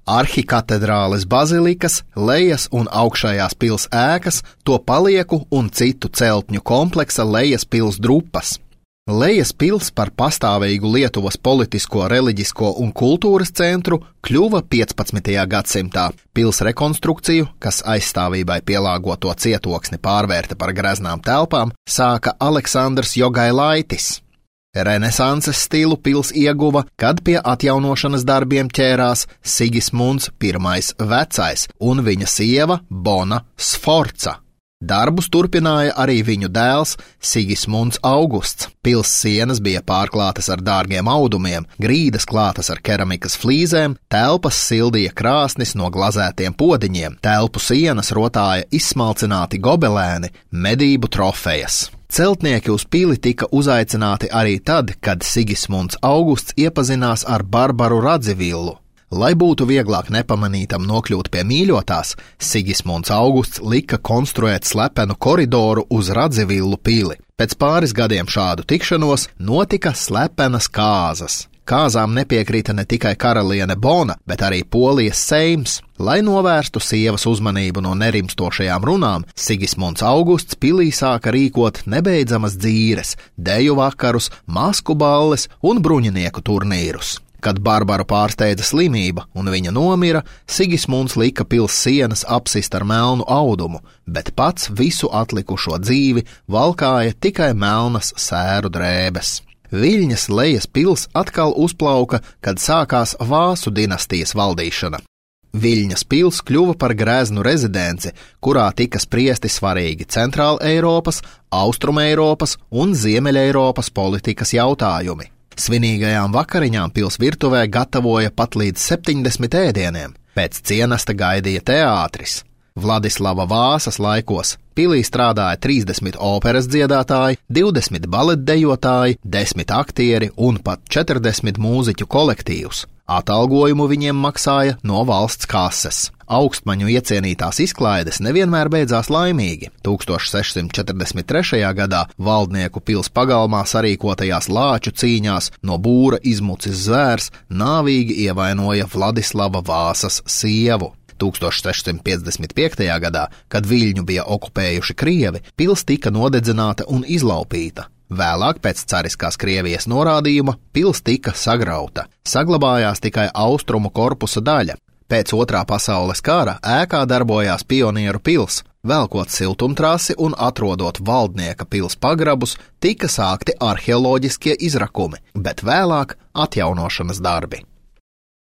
arhikatedrāles bazilikas, lejas un augšējās pils ēkas, to palieku un citu celtņu kompleksa lejas pils drupas. Lejas pils par pastāvīgu Lietuvas politisko, reliģisko un kultūras centru kļuva 15. gadsimtā. Pils rekonstrukciju, kas aizstāvībai pielāgoto cietoksni pārvērta par greznām telpām, sāka Aleksandrs Jogailaitis. Renesanses stilu pils ieguva, kad pie atjaunošanas darbiem ķērās Sigismunds I Vecais un viņa sieva Bona Sforca. Darbus turpināja arī viņu dēls Sigismunds Augusts. Pils sienas bija pārklātas ar dārgiem audumiem, grīdas klātas ar keramikas flīzēm, telpas sildīja krāsnis no glazētiem podiņiem, telpu sienas rotāja izsmalcināti gobelēni, medību trofejas. Celtnieki uz pili tika uzaicināti arī tad, kad Sigismunds Augusts iepazinās ar Barbaru Radzivillu. Lai būtu vieglāk nepamanītam nokļūt pie mīļotās, Sigismunds Augusts lika konstruēt slepenu koridoru uz Radzivillu pili. Pēc pāris gadiem šādu tikšanos notika slepenas kāzas. Kāzām nepiekrita ne tikai karaliene Bona, bet arī Polijas seims. Lai novērstu sievas uzmanību no nerimstošajām runām, Sigismunds Augusts pilī sāka rīkot nebeidzamas dzīres, deju vakarus, masku balles un bruņinieku turnīrus. Kad Barbaru pārsteidza slimība un viņa nomira, Sigismunds lika pils sienas apsist ar melnu audumu, bet pats visu atlikušo dzīvi valkāja tikai melnas sēru drēbes. Viļņas lejas pils atkal uzplauka, kad sākās Vāsu dinastijas valdīšana. Viļņas pils kļuva par greznu rezidenci, kurā tika spriesti svarīgi Centrāla Eiropas, Austruma Eiropas un Ziemeļa Eiropas politikas jautājumi. Svinīgajām vakariņām pils virtuvē gatavoja pat līdz 70 ēdieniem. Pēc cienesta gaidīja teātris. Vladislava Vāsas laikos pilī strādāja 30 operas dziedātāji, 20 baletdejotāji, 10 aktieri un pat 40 mūziķu kolektīvus. Atalgojumu viņiem maksāja no valsts kases. Augstmaņu iecienītās izklaides nevienmēr beidzās laimīgi. 1643. gadā valdnieku pils pagalmā sarīkotajās lāču cīņās no būra izmucis zvērs nāvīgi ievainoja Vladislava Vāsas sievu. 1655. gadā, kad Viļņu bija okupējuši Krievi, pils tika nodedzināta un izlaupīta. Vēlāk pēc cariskās Krievijas norādījuma pils tika sagrauta. Saglabājās tikai austrumu korpusa daļa. Pēc Otrā pasaules kara ēkā darbojās Pionieru pils. Velkot siltumtrasi un atrodot valdnieka pils pagrabus, tika sākti arheoloģiskie izrakumi, bet vēlāk atjaunošanas darbi.